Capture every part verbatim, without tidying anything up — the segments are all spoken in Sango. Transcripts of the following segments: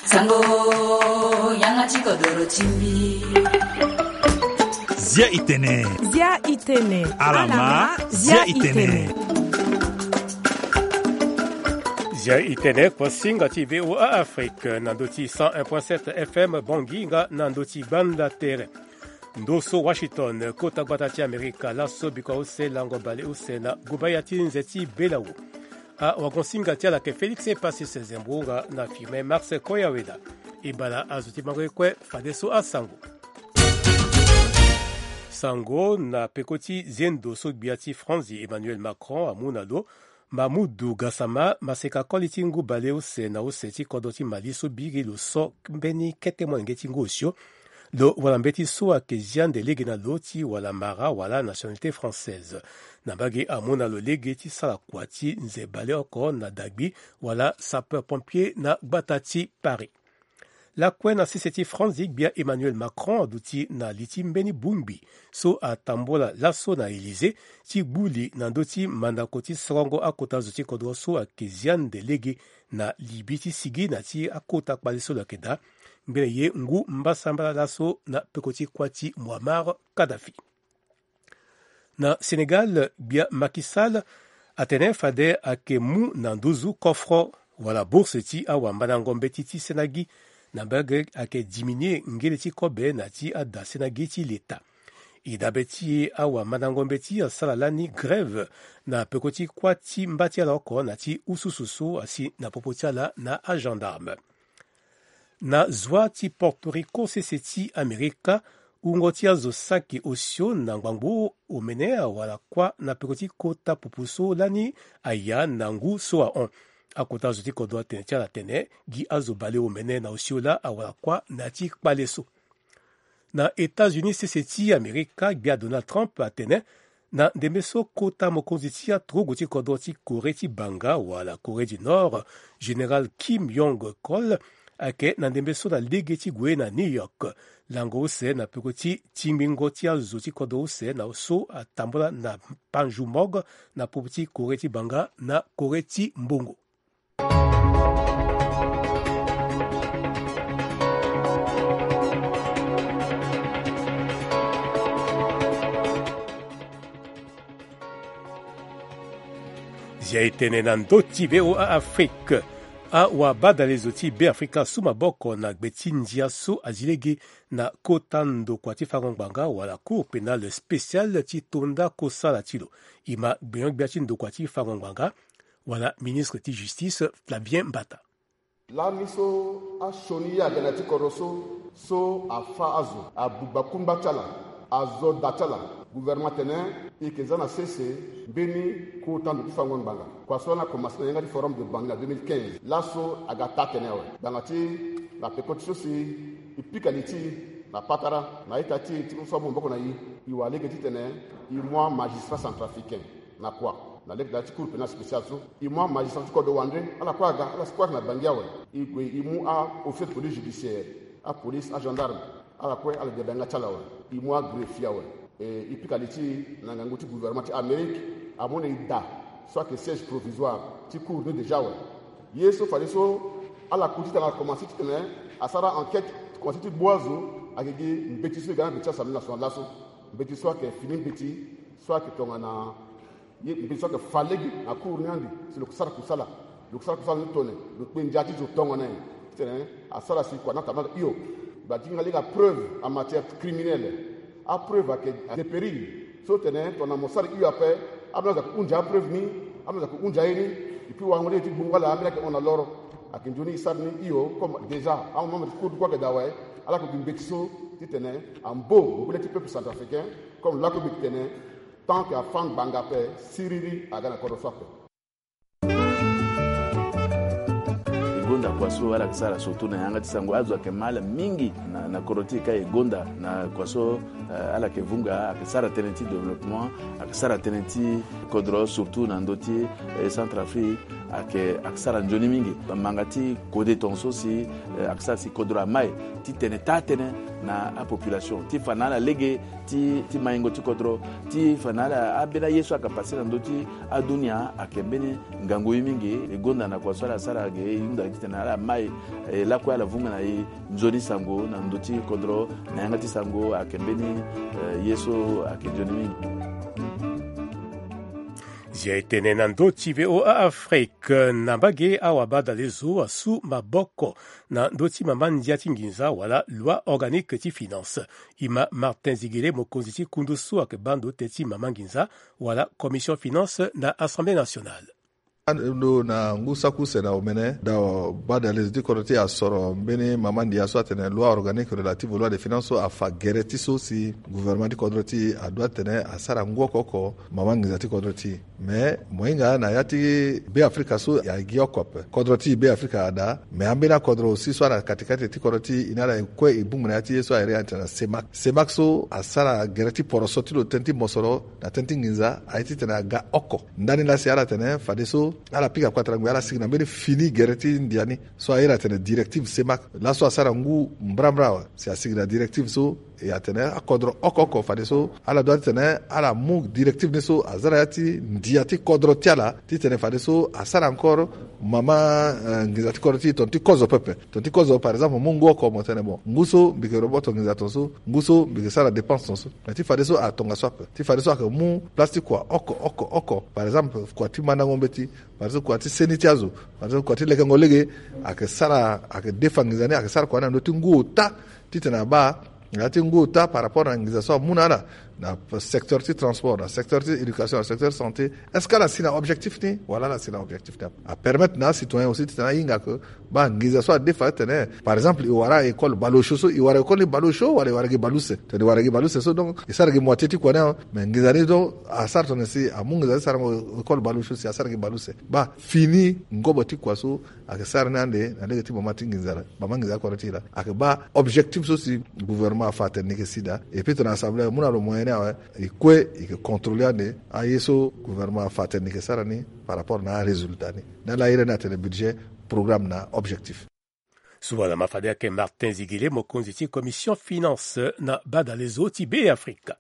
Sango, yanga ti kodoro ti mbi. Zia itene. Zia itene. Alama, zia itene. Zia itene, kpo singa ti V O A Afrique, na ndo ti cent un point sept F M Bangui, nga na ndo ti Banda Tere. Ndo so Washington, kota gbata ti Amerika, laso bikua use lango bale use na gobaya ti nze ti Belawu. Awagonsinga ti ala ayeke Félix Epasis Zembourou nga na Firmin Marcel Koyaweda. E bala azo ti bango ye kue fadeso asango. Sango na peko ti zendo so gbia ti Franzi Emmanuel Macron amu na lo, Mamoudou Gassama, maseka koli ti ngu bale use na use ti kodro ti Mali so biri lo so mbeni kete molenge ti ngu osio, lo wala mbeti so ayeke zia nde lege na lo ti wala mara wala nationalité française. Na mbage amu na lo lege ti sara kua ti nze bale oko na dagbi wala sapeur pompier na gbata ti Paris. Lakue na sese ti Franzi, gbia Emmanuel Macron aduti na li ti mbeni bongbi so atambola laso na Élysée ti gbu li na ndö ti mandako ti sorongo akota zo ti kodro so ayeke zia nde lege na libi ti sigi na ti akota kpale so lo yeke daa. Ngbene ye ngu mbasambala laso na peko ti kuâ ti Muammar Kadhafi. Na Sénégal, gbia Macky Sall atene fade ayeke mu na nduzu coffre wala bourse ti awamandango mbeti ti sena gi, na mbage ayeke diminuer ngele ti kobe na ti ada sena gi ti leta. E dabe ti e, awamandango mbeti asara lani grève na peko ti kuâ ti mba ti ala oko na ti ususu so asi na popo ti ala na agendarme. Na zwa ti Porto Rico, sese ti Amerika, wungo ti azo saki osio na ngbangbo omene awara kuâ na peko ti kota pupu so lani aya na ngu so ahon. Akota zo ti kodro atene ti ala atene gi azo bale omene na osio laa awara kuâ na ya ti kpale so. Na États-Unis, sese ti Amerika, gbia Donald Trump atene na ndembe so kota mokonzi ti aturugu ti kodro ti Corée ti banga wala Corée du Nord, général Kim Jong Chol, ayeke na ndembe so na lege ti gue na New York. Lango use na peko ti tingbingo ti azo ti kodro use na so atambola na Panmunjom na popo ti Corée ti banga na Corée ti mbongo. Zia e tene na ndö ti V O A Afrique. Awabadalezo ti Beafrika asu maboko na gbe ti ndia so azi lege na kota ndokua ti fango ngbanga wala Cour pénale spéciale ti tonda kosala ti lo. E ma gbenyo-gbia ti ndokua ti fango ngbanga wala ministre ti justice Flavien Mbata. Lani so asioni ye aga na ya ti kodro so, so afa azo, abugba kungba ti ala, azo da ti ala. Gouvernement atene e yeke za na sese mbeni kota ndo ti fango ngbanga. Kua so lani akomanse na yanga ti Forum de Bangui na deux mille quinze. Laso aga taa tene awe. Ngbanga ti na peko ti so si e pika li ti e na patara na ita ti e ti so amu maboko na e, e wara lege titene e mu amagistrat centrafricain na kua na lege ti Cour pénale spéciale so. E mu amagistrat ti kodro wande, ala kue aga, ala si kue ayeke na Bangui awe. E gue e mu a-officier de police judiciaire, apolice, agendarme, ala kue ala gi na yanga ti ala awe. E mu agreffier awe. E, e pika li ti e na ngangu ti gouvernement ti Amérique, amu na e da so ayeke siège provisoire ti cour ni déjà awe. Ye so fadeso ala ku titene ala komanse titene asara enquête, komanse ti gbu azo, ayeke gi mbeti so e ga na gbe ti Assemblée nationale laso. Mbeti so ayeke fini mbeti so ayeke tongana ye mbeti so ayeke fa lege na cour ni andi si lo yeke sara kusala. Lo yeke sara kusala ni tone, lo kpe ndia ti zo tongana nyen? Titene asara si kua ni atambula na hio. Gba ti hinga lege apreuve en matière criminelle. Apreuve ayeke dépérir. So tene tongana mo sara hio ape, ambeni azo ayeke hunzi apreuve ni, ambeni azo ayeke hunzi aye ni. Et puis warango lege ti gbungo ala ambeni ayeke hon na loro. Ayeke nzoni e sara ni hio comme déjà amembre ti cour ni kue ayeke daa awe. Ala yeke gi mbeti so titene ambo ngu le ti peuple centrafricain, comme lakue mbi yeke tene, tant que afa ngbanga ape, siriri aga na kodro so ape. E gonda kua so ala yeke sara surtout na yanga ti sango, azo ayeke ma ala mingi na, na kodro ti e ka e gonda na kua so, eh, ala yeke vunga, ayeke sara tënë ti développement, ayeke sara tënë ti kodro surtout na ndö ti, eh, Centrafrique. Ayeke ayeke sara nzoni mingi. Manga ti kode tonga so si eh, ayeke sara si kodro amai ti tene taa-tënë na apopulation ti fa na ala lege ti maingo ti kodro, ti fa na ala ambeni aye so ayeke pase na ndö ti adunia ayeke mbeni ngangu ye mingi. E gonda na kua so ala sara ge e hunda titene ala mai e lakue ala vunga na e nzoni sango na ndö ti kodro. Na yanga ti sango ayeke mbeni eh, ye so ayeke nzoni mingi. Zia e tene na ndö ti V O A Afrique na mbage awabadale zo asu maboko na ndö ti mama ndia ti nginza wala loi organique ti finance. E ma Martin Zigele mokonzi ti kundu so ayeke baa ndo tënë ti mama nginza wala commission finance na Assemblée nationale. Ndo na ngu saki use na omene da badale zo ti kodro ti e asoro mbeni mama ndia so atene loi organique relative au loi de finance so afa gere ti so si gouvernement ti kodro ti e adoit tene asara ngu oko oko mama nginza ti kodro ti e. Mais mo hinga na ya ti Be Afrika so e gi oko ape. Kodro ti Be Afrika ada, mais ambeni akodro aussi so ana katikati ti kodro ti e ni ala e kue e bongbi na ya ti ye so a iri atene na CEMAC. CEMAC so asara gere ti poroso ti lo tënë ti mosoro na tënë ti nginza aye titene aga oko. Ndani laa si ala tene fadeso ala pika kpatara ngoi ala sigi na mbeni fini gere ti ndia ni so a iri atene directive CEMAC. Laso asara ngu mbrambra awe si asigi na directive so e atene akodro oko oko fadeso ala doit titene ala mu directive ni so aza na ya ti ndia ti kodro ti ala titene fadeso asara encore mama eh, nginza ti kodro ti e tonga ti kozo pepe. Tonga ti kozo par exemple mu ngu oko mo tene bon ngu so mbi yeke roboto nginza tonga so, ngu so mbi yeke sara dépense tonga so. Mais ti fadeso atonga so ape. Ti fadeso ayeke mu place ti kua oko oko oko. Par exemple kua ti mandango mbeti, par exemple kua ti seni ti azo, par exemple kua ti lekengo lege, ayeke sara ayeke defa nginza ni ayeke sara kua ni na ndö ti ngu ota titene abaa na ya ti ngu ota par rapport na nginza so amu na ala na secteur ti transport, na secteur ti éducation, na secteur ti santé. Est-ce que ala si na objectif ni wala ala si na objectif ni ape? Apermettre na acitoyen aussi titene ahinga ke baa nginza so adefa atene par exemple e wara école baleosio so, e wara école ni baleosio wala e wara gi baleuse? Tene e wara gi baleuse so donc e sara gi moitié ti kua ni awe. Mais nginza ni donc asara tongana si amu nginza ti sarango école baleosio si asara gi baleuse. Baa fini ngobo ti kua so ayeke sara ni ande na lege ti mama ti nginza la, mama nginza ti kodro ti e la ayeke baa objectif so si gouvernement afa atene ni yeke si daa. Et puis tongana assemblée amu na lo moyen ni awe, e kue e yeke contrôler ande aye so gouvernement afa atene ni yeke sara ni par rapport na arésultat ni. Ndani la iri ni atene budget, programme na objectif. Suba na ma fade ayeke Martin Zigele mokonzi ti commission finance na badale zo ti Be Afrika.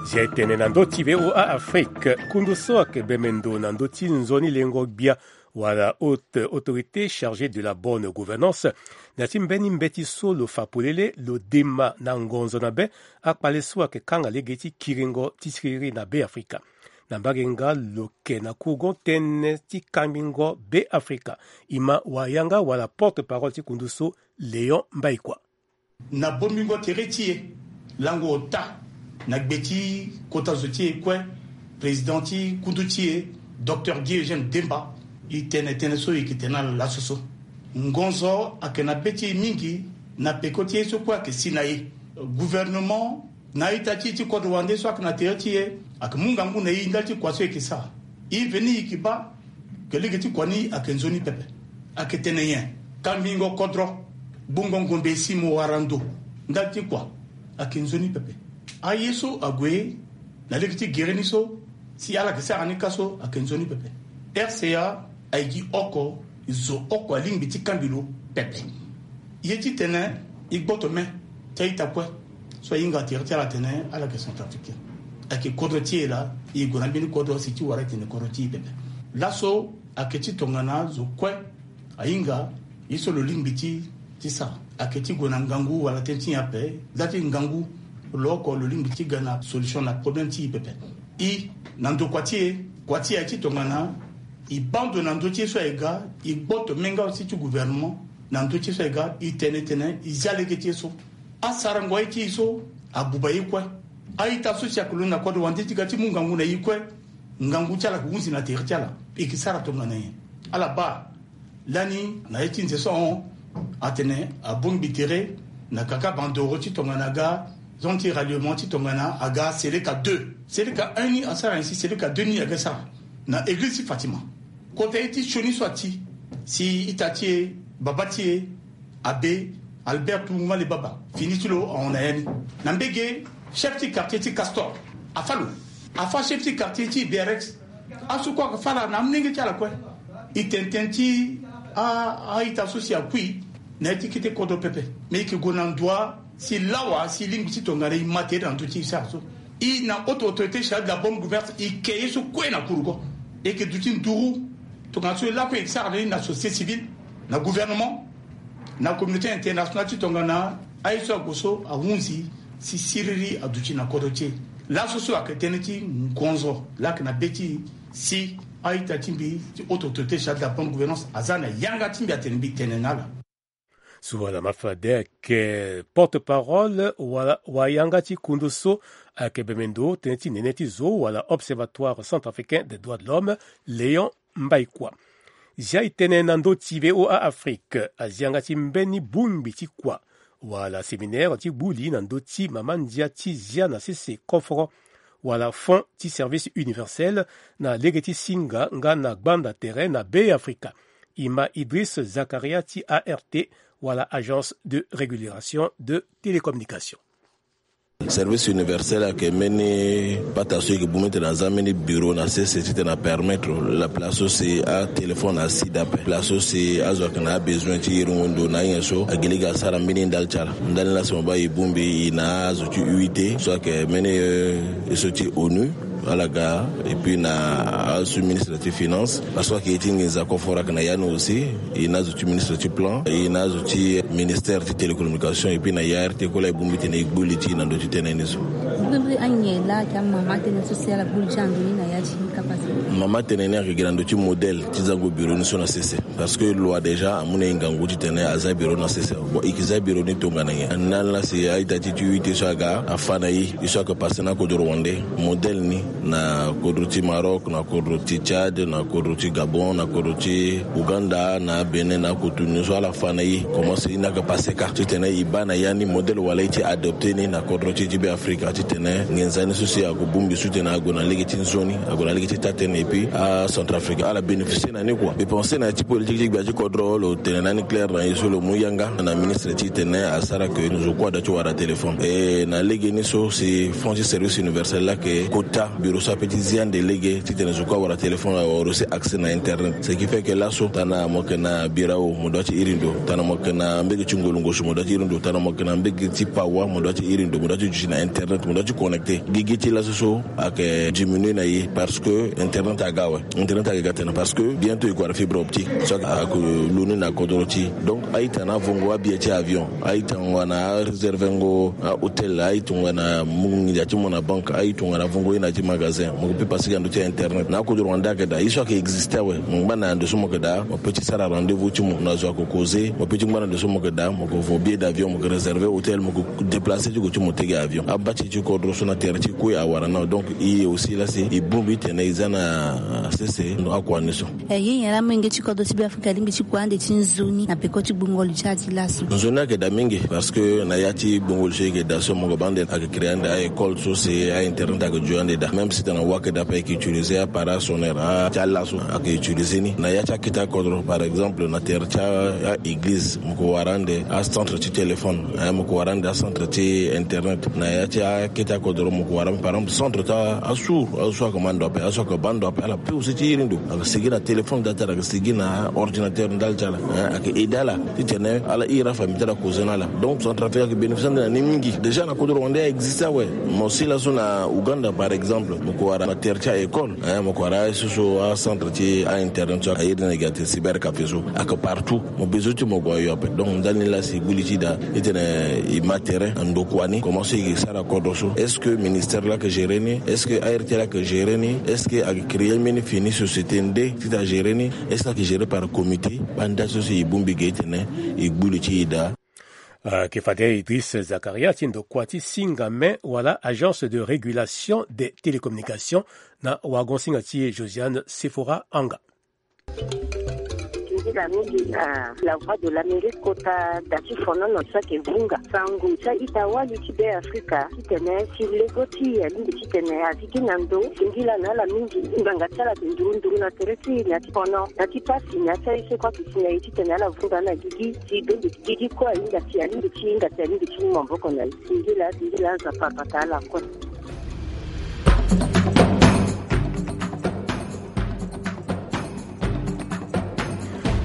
Zia e tene na ndö ti V O A Afrique, kundu so ayeke bembe ndo na ndö ti nzoni lengo gbia wala haute autorité chargée de la bonne gouvernance, na ya ti mbeni mbeti so lo fa polele lo dema na ngonzo na be akpale so ayeke kanga lege ti kiringo ti siriri na Be Afrika. Na mbage nga lo yeke na kourgon tënë ti kambingo Be Afrika, e ma wayanga wala porte-parole ti kundu so, Léon Mbaikua. Na bongbingo tere ti e, lango ota na gbe ti kota zo ti e kue, président ti kundu ti e, Docteur Guy Eugène Demba, e tene tënë so e yeke tene na ala laso so. Ngonzo ayeke na be ti e mingi na peko ti ye so kue ayeke si na e. Gouvernement na a-ita ti e ti kodro wande so ayeke na tere ti e ayeke mu ngangu na e ndali ti kua so e yeke sara. E veni e yeke baa ke lege ti kua ni ayeke nzoni pepe. Ayeke tene nyen? Kambingo kodro, gbungo ngombe si mo wara ndo ndali ti kua, ayeke nzoni pepe. Aye so ague na lege ti gere ni so si ala yeke sara ni ka so ayeke nzoni pepe. R C A aye gi oko, zo oko alingbi ti kambi lo pepe. Ye ti tene e gboto me ti a-ita kue so ahinga tere ti ala atene ala yeke Centrafricain. Ayeke kodro ti e laa, e gue na mbeni kodro si ti wara e tene kodro ti e pepe. Laso ayeke ti tongana zo kue ahinga ye so lo lingbi ti ti sara. Ayeke ti gue na ngangu wala tënë ti nyen ape, nda ti ngangu lo oko lo lingbi ti ga na solution na problème ti e pepe. E na ndokua ti e, kua ti e aye ti tongana e baa ndo na ndö ti ye so aye ga, e gboto me nga aussi ti gouvernement na ndö ti ye so aye ga, e tene tene e zia lege ti ye so. Asarango aye ti e so abuba ye kue. A-ita so si ayeke londo na kodro wande ti ga ti mu ngangu na e kue, ngangu ti ala ayeke hunzi na tere ti ala. E yeke sara tongana nyen? Ala baa lani na ye ti nze so ahon atene abongbi tere na kaka bandoro ti tongana aga zone ti ralliement ti tongana aga Seleka deux. Seleka un ni asara nyen si Seleka deux ni aga sara na eglize ti Fatima. Kota ye ti sioni so ati si ita ti e, babâ ti e, abe Albert Tunguma le baba fini ti lo ahon na ya ni. Na mbege, chef ti quartier ti Castor afa lo. Afa chef ti quartier ti Berex. Asu kue aka fa ala na amolenge ti ala kue. E tene tënë ti a- a-ita so si akui na ya ti kete kodro pepe. Me e yeke gue na ndoa si lawa si e lingbi ti tongana e ma tere na ndö ti e sara so. E na haute autorité chargée de la bonne gouvernance, e ke ye so kue na kurugo. E yeke duti nduru tongana so e lakue e sara na ni na société civile, na gouvernement, na communauté internationale ti tongana aye so ague so ahunzi si siriri aduti na kodro ti e. Laso so ayeke tënë ti ngonzo laa ayeke na be ti e si a-ita ti mbi ti haute autorité chargée de la bonne gouvernance aza na yanga ti mbi atene mbi tene na ala. So wala ma fade ayeke porte-parole wala wayanga ti kundu so ayeke bembe ndo tënë ti nene ti zo wala Observatoire Centrafricain des Droits de l'Homme, Léon Mbaïkwa. Zia e tene na ndö ti V O A Afrique, azi yanga ti mbeni bongbi ti kua wala séminaire ti gbu li na ndö ti mama ndia ti zia na sese koforo wala fonds ti service universel na lege ti singa nga na gbanda tere na Be Afrika. E ma Idriss Zakaria ti A R T wala Agence de Régulation de Télécommunication. Service universel ayeke mbeni pata so e yeke bongbi titene aza mbeni bureau na sese titene apermettre la place so si atéléphone asi dape, place so si azo ayeke na abesoin ti iringo ndo na anyen so agi lege asara mbeni ndali ti ala. Ndali ni laa si mo baa e bongbi e na azo ti U I T so ayeke mbeni, eh, ye so ti onu. Ala ga, et puis na azo ti ministre ti finance, parce que ayeke ye ti nginza koforo ayeke na ya ni aussi. E na azo ti ministre ti plan, e na azo ti ministère ti télécommunication, et puis na A R T kue laa e bongbi titene e gbu li ti e na ndö ti tënë ni so. Mbiri anyen laa ayeke amama tënë so si ala gbu li ti ala na ndö ni na ya ti kapa so? Mama tënë ni ayeke gi na ndö ti modèle ti zango bureau ni so na sese. Parce que loi déjà amu na e ngangu titene aza bureau na sese. Bon, e yeke za bureau ni tongana nyen? Ndali laa si a-ita ti ti U I T so aga afa na e, e so ayeke passé na akodro wande. Modèle ni na kodro ti Maroc, na kodro ti Tchad, na kodro ti Gabon, na kodro ti Ouganda, na Bénin, na akoto ni so ala fa na e. Comment si e ni ayeke passé kâ titene e baa na ya ni modèle wala e ti adopté ni na kodro ti e ti Be Afrika titene nginza ni so si ague bongbi so titene ague na lege ti nzoni, ague na lege ti taa-tënë, et puis aCentrafrique ala bénéficié na ni kua. Mbi pensé na ya ti politique ti gbia ti kodro lo tene na ni clair na e so lo mu yanga na ministre titene asara ke zo kue ada ti wara téléphone. E na lege ni so si fonds ti service universel laa ayeke kota bureau so ape ti zi ande lege titene zo kue awara téléphone, awara aussi accès na internet. Ce qui fait que laso tana mo yeke na birao mo dua ti iri ndo, tana mo yeke na mbege ti ngolongo so mo dua ti iri ndo, tana mo yeke na mbege ti pawa mo dua ti iri ndo, mo dua ti duti na internet, mo dua ti connecté. Gigi ti laso so ayeke diminué na e parce que internet aga awe. Internet ayeke ga tene parce que bientôt e gue wara fibre optique so ayeke lo ni na kodro ti e. Donc a-ita na avongo abie ti avion, a-ita tongana aréservengo ahôtel, a-ita tongana mu nginza ti mo na banque, a-ita tongana avongo ye na ya ti magasin, mo yeke peut passé ga na ndö ti internet. Na akodro wande ayeke daa, ye so ayeke existé awe. Mo ngba na ndo so mo yeke daa, mo peut ti sara rendez-vous ti mo na zo ayeke causé, mo peut ti ngba na ndo so mo yeke daa, mo yeke vo billet d'avion, mo yeke réservé hôtel, mo yeke déplacé ti gue ti mo tege avion. Aba ti ti kodro so na tere ti kue awara na. Donc e aussi laa si e bongbi titene e za na sese ndo akua ni so. E, ye nyen laa molenge ti kodro ti Be Afrika alingbi ti kua ande ti nzoni na peko ti gbungo lo ti ala ti laso? Nzoni ayeke daa mingi parce que na ya ti gbungo lo so e yeke daa so mo yeke baa ande ayeke créé ande a-école so si a-internet ayeke dio ande daa. Même si tena wa ayeke daa ape ayeke utilisé appareil sonore a ti ala so ayeke utilisé ni. Na ya ti akete akodro par exemple na tere ti a-église mo yeke wara ande acentre ti téléphone, eh, mo yeke wara ande acentre ti internet. Na ya ti akete akodro mo yeke wara par exemple centre ti asourd, azo so ayeke ma ndo ape, azo so ayeke baa ndo ape, ala peut aussi ti iri ndo, ayeke sigi na téléphone ti ala, ayeke sigi na ordinateur ndali ti ala, eh, ayeke aidé ala titene ala iri afamille ti ala causé na ala. Donc Centrafrique ayeke bénéficié ande na ni mingi. Déjà na kodro wande a existé awe. Mo si laso na Ouganda par exemple mo yeke wara na tere ti a-école, eh, mo yeke wara aye so so acentre ti a-internet so ayeke iri ni na gi ate cybercafé so ayeke partout. Mo besoin ti mo gue ayo ape. Donc ndali ni laa si e gbu li ti e daa, e tene e ma tere na ndokua ni, comment so e yeke sara kodro so? Est-ce que ministère laa ayeke géré ni? Est-ce que A R T laa ayeke géré ni? Est-ce que ayeke créé mbeni fini société nde ti ta géré ni? Est-ce que ayeke géré par comité? Banda so si e bongbi ge e tene e gbu li ti e daa. Ayeke fade Idriss Zakaria ti ndokua ti singa me wala Agence de Régulation des Télécommunications na wagon-singa ti e Josiane Sephora Anga. Ila mingi na la Voix de l'Amérique kota da ti fono na ti saki vunga sango ti a-ita wali ti Be Afrika titene si lego ti e alingbi titene azi gi na ndo singila na ala mingi. Ngbanga ti ala ayeke nduru nduru na tere ti e na ya ti fono na ti pasi na ya ti aye so kue ayeke si na e titene ala vunga na gigi si donde gigi kue ahinga si alingbi ti hinga si alingbi ti mu maboko na e. Singila singila Nzapa abata ala kue.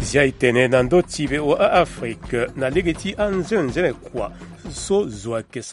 Zia e tene na ndö ti V O A Afrique na lege ti anzenze kua so zo ayeke